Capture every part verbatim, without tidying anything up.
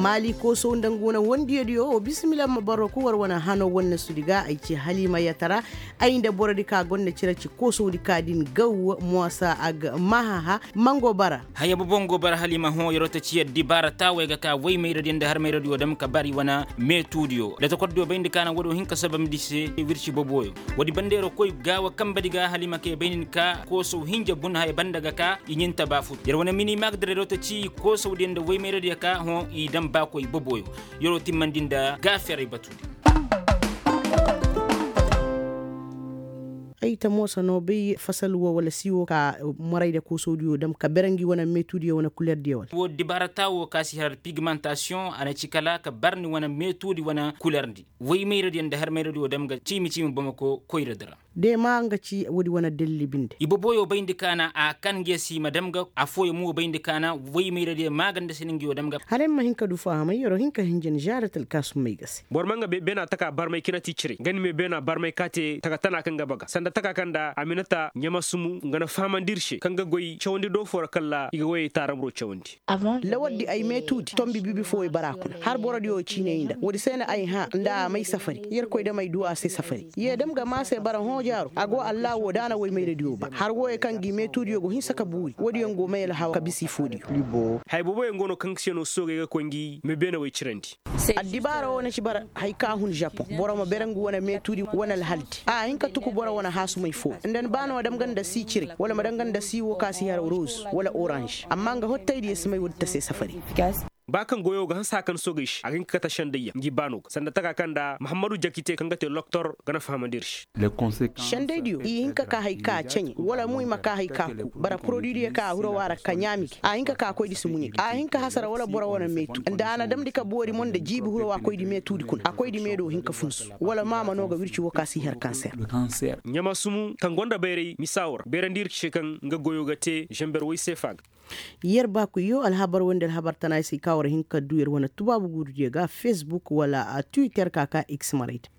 Maali koosow nda ngu wane wondiyadiyo wo bisimila ma boro ku war wane hano wane sudi ga ay ci haliima yatara. Ay nda borodi ka gonda cire ci koosowdi ka din gaw moosa a ga maahaha. Mango bara. Haya bobo ngo bara haliima hõ yeroo ta ci yaddi baara taawey ga ka woy mayradiyo nda har mayradiyo dam ka bari wane meetuudiyo da takordiyo bayndi ka na woodiyo hin ka sabamndi se wirci boboyo. Woodi banda yeroo koy gaawa kambadi ga haliima kay bayndi ka koosow hinja bun haya banda ga ka i ɲin tabaafutu yer wane mini maagda reeroo ta ci koosowdiyo nda woy mayradiyo ka hõ i dam baakoy boboyo. Yeroo timmandi nda gaaferey batu. Ay ta moosa no bay fasal wo wala si wo ka morayda koosowdiyo dam ka bere ngi wane meetuudiyo wane kulerdiyo wala. Wo dibaara taawo ka si har pigmantasiyoŋ a na ci kala ka bar ni wane meetuudi wane kulerdi woy mayradiyo nda har mayradiyo dam ga ciimi ciimi bamako koyradi ra. De ma nga ci woodi wane dalli binde. Iboboyo bayndi ka na a kan ngiyo si ma dam ga afooyo mo bayndi ka na woy mayradiyo maa ganda si ni ngiyo dam ga. Hala ay ma hin ka du fahamay yeroo hin ka hinja ni žaarat alkaasum may ga se. Boro ma nga beena taka barmay kina ti cire nga ni me beena barmay ka te taka tana kaŋ ga baga sanda taka kaŋ nda aminata ɲamasumu nga na fahamandi ir se kaŋ ga goy cawandi do foo ra kalla i ga woyey taaraburo cawandi. Lawardi ay meetuudi tombi bibi foo i bara kuna har borodiyo ciinay nda woodi se na ay hã nda a may safari. Yerkoy dam ay du a se safari ye dam ga maa se bara hõ jaaro a go allaawo da a na woy mayradiyo ba har wooyo kaŋ gi meetuudiyo go hinsa ka buuri woodiyo go may alhaw ka bisa ifoodiyo. Haya booboyaŋ go no kaŋ se no soogey ga koy ngi me beenawey cirandi. Addibaara wo na ci bara haya ka hun žapoŋ boro ma bere ngu wane meetuudi wane alhaldi a hin ka tuku boro wane haasumay foo nda ni ba no ma dam ga nda si ciray wala ma dam ga nda si wo ka si har roz wala oranž amma nga hottaydiyo si may woodi ta se safari. Ba kaŋ goyo ga hanse haya kaŋ soogey se a ga hin ka kate sendayyaŋ ngi baano ga sanda taka kaŋ nda mahammadu jakite kaŋ ga te loktor ga na fahamandi ir se. Sendaydiyo i hin ka ka haya ka ceɲe wala mo i ma ka haya ka ku bara poroduidiyo kaŋ a hiro wa ra ka ɲaami gi a hin ka ka koydi si muɲe a hin ka hasara wala boro wane meetu nda a na damndi ka boori mo nda jiibi hiro wa koydi meetuudi kuna a koydi mee do hin ka funsu wala maama no ga wirci wo ka si har kanser. Ɲamasumu kaŋ gonda bayray misa wo ra bayrandi ir se kaŋ nga goyo ga te zember woy seefa ga. Yer baakoyyo alhabar wo nda alhabar tana ay se i ka war hin ka du yer wane tubaabu guurudiyo ga facebook wala twitter ka ka x marayda.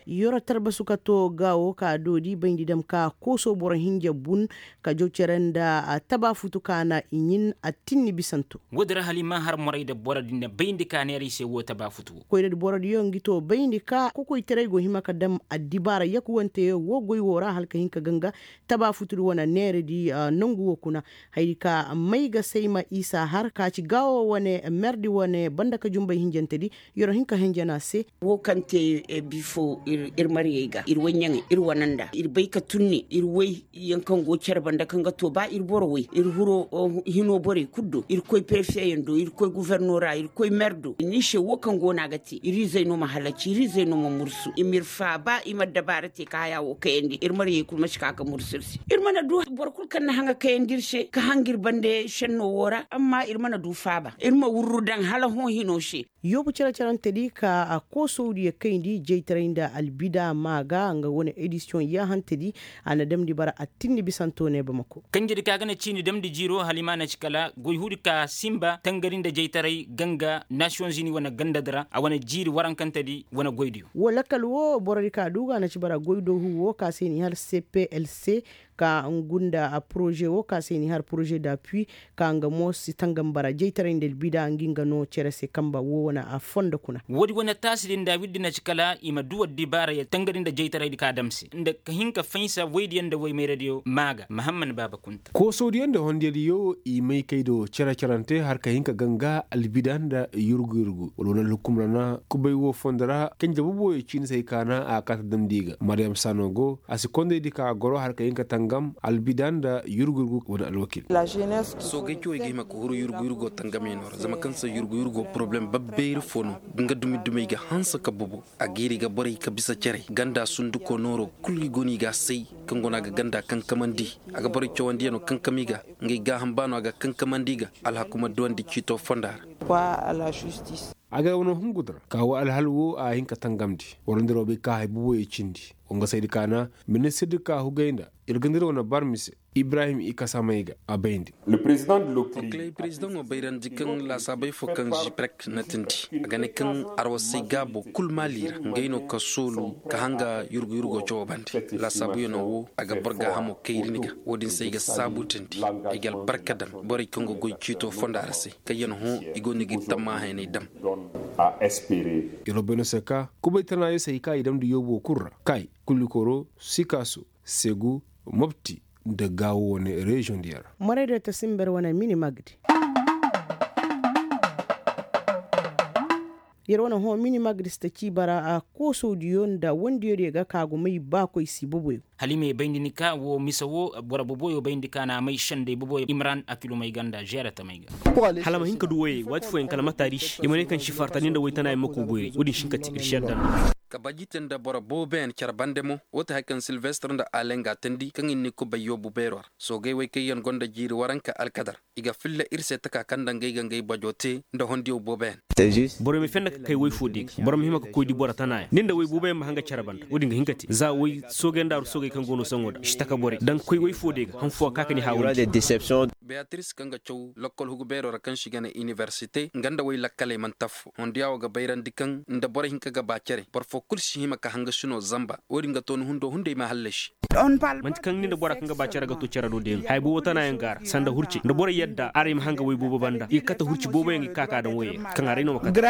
Yoro tarbasu ka to gaawo ka doodi bayndi dam ka kooso boro hinja bun ka jaw cere nda tabaafutu ka na i ɲin attinni bisanto. Woodi ra hala i ma har moray nda boro din na bayndi ka neera i se woo tabaafutu woo. Koyradi borodiyo ngi to bayndi ka kokoytaray go hima ka dam addibaara yakuwanteyo woo goy woo ra hala ka hin ka ganga tabaafutudi wane neeredi nongu woo kuna. Hayadi ka may ga say ma isa har ka ci gaawo wane merdi wane banda ka jumbay hinjantedi. Yer'o hin ka henjen a se. Woo kaŋ te bifo ir maryey ga ir woy ɲaŋey ir wane nda ir bay ka tunni ir woy yaŋ kaŋ go cere banda kaŋ ga to ba ir boro woy ir hiro hino borey kulu do ir koy perefe yaŋ do ir koy guforno ra ir koy mer do ni se woo kaŋ go no a ga te ir izey no ma halaci ir izey no ma mursu i ma ir faaba i ma addabaara te ka haya woo kayandi ir maryey kulu ma si ka ga mursu ir se. Ir mana du boro kulu kaŋ na haŋa kayandi ir se ka hanga ir bande šenno woo ra amma ir mana du faaba ir ma wurru daŋ hala hõ hino se. Yoobu cere-cerentedi ka koosowdiyo kayndi jaytaray nda albida maa ga nga wane edisiyoŋ yaahantedi. A na damndi bara attinni bisanto ne bamako. Kanjedi ka ga na ciini damndi jiiro hala i ma na ci kala goy huudi ka sinba tangari nda jaytaray ganga nasiyoŋ zini wane gandadi ra a wane jiiri warankantedi wane goydiyo. Woo lakkal woo borodi ka du ga na ci bara goydoohu woo ka se ni har cplc ka ngu nda poroze woo ka se ni har poroze da pui ka nga mo si tangam bara jaytaray nda albida ngi nga no cere se kamba woo wane a fondo kuna. Woodi wane taasidi nda wirdi na ci kala i ma du addibaarayaŋ tangari nda jaytaraydi ka dam se nda ka hin ka faynsa woydiyaŋ nda woy mayradiyo maa ga mahamman baaba kunta. Koosowdiyaŋ nda hondiyadiyo i may kay do cere-cerante har ka hin ka ganga albida nda yurgu-yurgu wala wane alhukum ra na kubay woo fondo ra kanje boboyo ciini se hay ka na a kaata damndi ga maryam saano go a si kondaydi ka goro har ka hin ka tangam albida nda yurgu-yurgu wane alwakil. Soogey cawey ga hima ka huru yurgu-yurgo tangamyaŋo ra zama kaŋ se yurgu-yurgo poroblem babbeeri fo no. Nga dumi-dumey ga hanse ka bobo a giiri ga borey ka bisa cere ganda sunduko nooro kulu i go no i ga a say kaŋ go no a ga ganda kankamandi a ga borey cawandiyaŋo kankam i ga. Ngey gaaham ba no a ga kankamandi i ga alhaku ma duwandi ciito fonda ra. A ga wano hungu dira ka wo alhal wo a hin ka tangamndi wala nda roobey ka hay boboyo cindi. Wa nga saydi kaana ministir di ka hugay nda ir ga nda ir wane barmi se. Ibrahim i kasa may ga a bayndi. Okilay prezidaŋo bayrandi kaŋ laasaabey fo kaŋ ziprek na tindi a ga ne kaŋ arwasay gaabo kul maali ra ngey no ka soolu ka hanga yurgu yurgo cawo bande. Laasaabuyanoo wo a ga boro gaahamo kayri ni ga. Wo-din se ay ga saabu tindi ay ga albarka daŋ borey kaŋ ga goy ciito fonda ra se kaŋ yaŋ hõ i go no ga ir tammahayaney daŋ. Yer wo bay no se ka kubay tanaayo se hay ka i damndi yoobo kul ra kay, kulikoro, sikaaso, segu, mopti, nda gaawo wane reziyoŋ diyaŋ ra. Moray do ta simber wane mini magdi. Yer wane hõ mini magdi si ta ci bara koosowdiyo nda wandiyo diyo ga ka go may baakoy si boboyo. Hala i ma ye bayndi ni ka wo mise wo boro boboyo bayndi ka na a may sendey boboyo imran akilumey ga nda zeera tamey ga. Hala a ma hin ka du woyey waati fooyaŋ kala mataari se i ma ne kaŋ si farta ni nda woy tana yaŋ ma koo boyri wo-din si hin ka te ir si yadda nda. Ka baji te nda boro booboyaŋ care bande mo. Wo ti hari kaŋ silvestre nda alenga teendi kaŋ i na ni kubay yoobu beero ra. Soogey wey kaŋ yaŋ gonda jiiri waranka alkadar i ga filla ir se taka kaŋ nda ngey ga ngey bajo te nda hondiyaw booboyaŋ. Borey ma fenda ka kay woy foo de ga boro ma hima ka koy di boro tana yaŋ ni nda woy booboyaŋ ma hanga care banda wo-din ga hin ka te za woy soogey nda aru soogey kaŋ go no saŋo da i si taka borey da nga koy woy foo de ga han foo ka ka ni haawa. Beatiris kaŋ ga caw lakkol hugu beero ra kaŋ se i ga ne iniversite nga nda woy lakkaley mana taffo hondiya wo ga bayrandi kaŋ nda boro hinka ga ba care boro foo kul si hima ka hanga sino zamba wo-din ga to ni hundo hunday ma hallasi. Manti kaŋ ni nda bora kaŋ ga ba care ga to care do deeno haya boobo tana yaŋ ga a ra sanda hurcey nda borey yadda aray ma hanga woy boobo banda i ga kate hurci boobo yaŋ i ga ka ka daŋ woyey ra kaŋ aray no ma kate.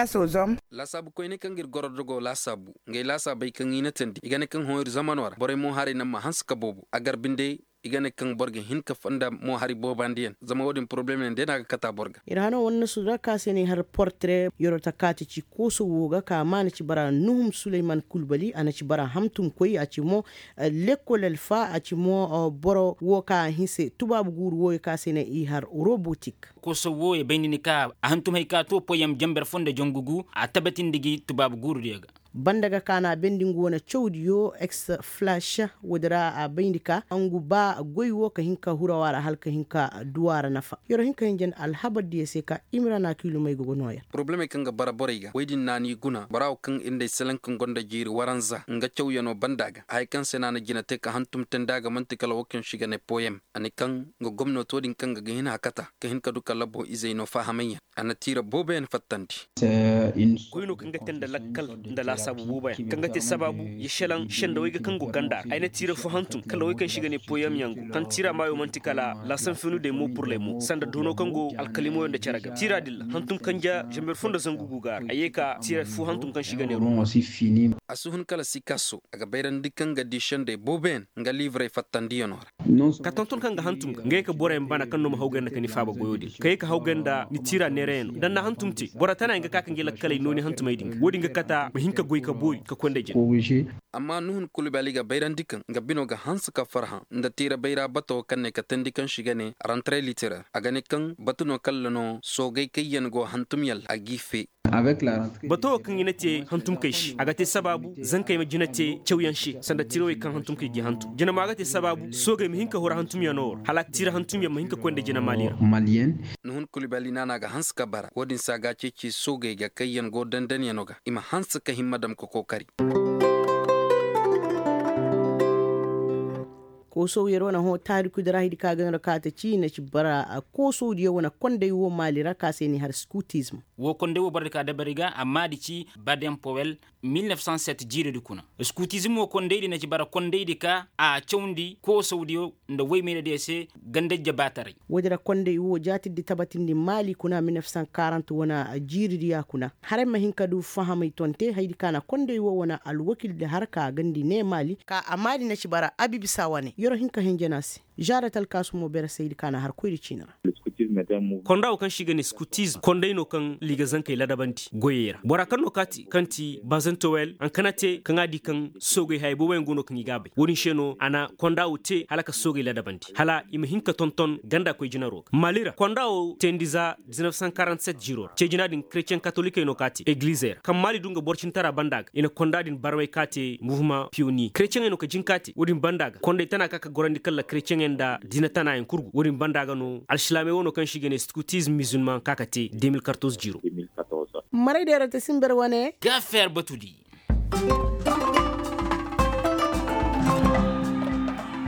Laasaabu koyney kaŋ ga ir goro dogo laasaabu ngey laasaabey kaŋ i na teendi i ga ne kaŋ hõ ir zamano ra borey mo haray naŋ ma hanse ka boobo a gar binde. I ga ne kaŋ boro ga hin ka fonda mo hari boobandiyaŋ zama wo-din porobalem yaŋ day no a ga kata boro ga. Ir hano wane na sudu ra ka se no i har portare yeroo ta kaati ci kooso wo ga ka ma na ci bara nuhum suleyman kulbali a na ci bara hamtumkoy a ci mo lekkol alfa a ci mo boro wo ka a hinse tubaabu guuru wooyo ka se no i har robotik. Kooso wooyo bayndi ni ka a hantum hay ka to poyam jamber fo nda jangu gu a tabatindi gi tubaabu guurudiyo ga. Banda ga kaana bendi ngu wane cawdiyo eksflash. Woodi ra a bayndi ka ngu ba goy wo ka hin ka hurawa ra hala ka hin ka duwa ra nafa yer wo hin ka hinja nda alhabardiyo se ka imira na kiilumey ga go nooya. Porobalemey kaŋ ga bara borey ga woy din naani guna bora wo kaŋ ir nda ay salaŋ kaŋ gonda jiiri waranza nga cawyanoo banda ga haya kaŋ se no a na jina te ka hantum teendi a ga man'ti kala wo kaŋ se i ga ne poyem a ne kaŋ nga gomnatoo din kaŋ ga ga hin hakata ka hin ka du ka labbo izey no faahamay yaŋ. A na tiira booboyaŋ fattandi. Koy no kaŋ ga te nda lakkal nda laasaabu booboyaŋ kaŋ ga te sabaabu ya selaŋ sendawey ga kaŋ go ganda ra ay na tiira fo hantum kala wey kaŋ se i ga ne poyem yaŋ go kaŋ tiira maayo man'ti kala laasanfinu de mo purlemo sanda doono kaŋ go alkalimoyo nda cere ga tiira din ra hantum kanja zamber fo nda zangu gu ga a ra a ye ka tiira fo hantum kaŋ se i ga ne. A si hun kala sikaso a ga bayrandi kaŋ ga di sendey booboyaŋ nga liivrey fattandiyanoo ra. Ka tonton kaŋ ga hantum ga nga ye ka boroyaŋ bana kaŋ no ma hawgay nda ka ni faaba goyo din ka ye ka hawgay nda ni tiira neerayaŋ no da ni na hantum te boro tana yaŋ ga ka ka ngi lakkaley no ni hantumey din ga wo-din ga kata ma hin ka goy ka boori ka koy nda jina. Amma nuhun kulbali ga bayrandi kaŋ nga bino ga hanse ka farhã nda tiira bayra bato kaŋ ne ka teendi kaŋ se i ga ne rantre literer a ga ne kaŋ batu no kalla no soogay kaŋ yaŋ go hantum yaŋ ra a g'i fe. Bato wo kaŋ i na te hantumkey se a ga te sabaabu zankey ma jina te cawyaŋ se sanda tirawey kaŋ hantumkey g'i hantum jina mo a ga te sabaabu soogey ma hin ka huru hantumyaŋo ra hala tiira hantumyaŋ ma hin ka koy nda jina maali ra. Nuhun kulbali naana ga hanse ka bara wo-din se a ga a ceeci soogey ga kaŋ yaŋ go dandanyaŋo ga i ma hanse ka himma dam ka kookari. Koosow yer wane hõ taarikudi ra haydi ka ga no ra kaate ci i na ci bara koosowdiyo wane konday wo maali ra ka se ni har skutizm. Wo konday wo boro di ka dabari ga amma di ci baden powel mil nef san set jiiridi kuna. Skutizm wo kondaydi na ci bara kondaydi ka a cawndi koosowdiyo nda woymaynadiyo se gandajja baataray. Woodi ra konday wo jaatirdi tabatindi maali kuna mil nef san karant wane jiiridi ya kuna haray ma hin ka du fahamay tonte haydi ka na konday wo wane alwakildi har ka gandi ne maali ka a maali na ci bara abibisa wane yero hin ka hinja no a se. Žaarat alkaasumo bere saydi ka na har koyri ciini ra. Konda wo kaŋ se i ga ne skutizm konday no kaŋ liiga zankey ladabandi goyey ra bora kaŋ no kaati kaŋ ti bazantowel haŋ kaŋ a te kaŋ a di kaŋ soogey hayey booboyaŋ go no kaŋ i ga a bay wo-din se no a na konda wo te hala ka soogey ladabandi hala i ma hin ka tonton ganda koy jinaro ga maali ra konda wo teendi za diznef san karantiset jiiro ra ce jina din kretiyeŋ katolikey no ka te egilizey ra kaŋ maali du nga boro cintara banda ga i na konda din barmay ka te muvuma piyoniye kretiyeŋey no ka jin ka te wo-din banda ga konday tana ka ka gorandi kala kretiyeŋey nda diina tanayaŋ kurgu wo-din banda ga no alsilaamey wano kaŋ se i ga ne skutizm mizilmaŋ ka ka te de mil kartoz jiiro. Maray deera te simber wane. Gaafeer batudi.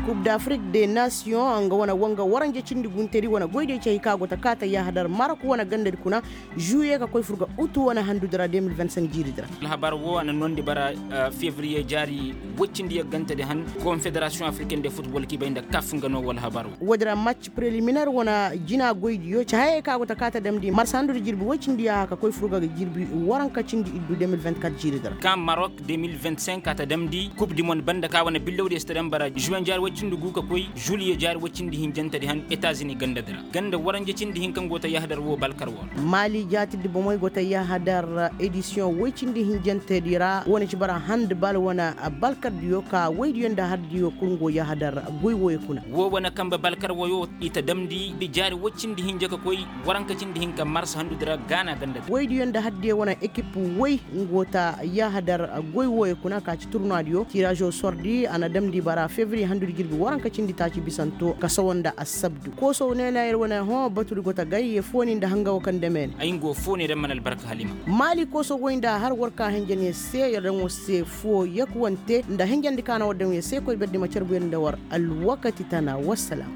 Kub d'afrik de nasiyoŋ nga wane wanga waranja cindi guntedi wane goydiyo ci hay ka go ta kaata yaahadar marok wane gandadi kuna, žuwiye ka koy fur ga utu wane handudi ra de mil vingt cinq jiiridi ra. Alhabar wo a na noondi bara, fevriye jaari woy cindi yaggantedi han, konfederasiyoŋ afriken de futbol k'i bay nda kaf nga no wo alhabar wo. Woodi ra mac preliminaire wane jina goydiyo ci hayey ka go ta kaata damndi marsa handudi jirbi woy cindi yaaha ka koy fur ga jirbi waranka cindi iddu de mil vingt quatre jiiridi ra. Ka marok de mil vingt cinq a ta damndi kub di mon banda ka wane billawdiyo si ta dam bara žuwen jaari woy cindi gu ka koy žuliye jaari woy cindi hinjantedi han etazini gandadi ra. Ganda waranja cindi hin kaŋ go ta yahadar wo balkar wo ra. Maali jaatidi bomey go ta yahadar edisiyoŋ woy cindi hinjantedi ra wane ci bara handi bal wane balkardiyo ka woydiyo nda hardiyo kul ngo yahadar goy woyo kuna. Wo wane kambe balkar woyo i ta damndi jaari woy cindi hinja ka koy waranka cindi hinka mars handudi ra gaana gandadi. Woydiyo nda hardiyo wane ekip woy ngo ta yahadar goy woyo kuna ka ci turnuwaadiyo tirazo sordi a na damndi bara fevriye handudi jirbi waranka cindi taaci bisanto ka sowo nda assabdu koosow neena yer wane hõ batudi go ta gay ye fooni nda hanga wo kaŋ dame ne. Ay nga wo fooni ra mana albarka halima. Maali koosow goy nda har war ka hinjan yer se yer daŋ war se foo yakuwante nda hinjandi ka na war daŋ yer se koy berdi ma carbu yer nda war alwakati tana wassalam.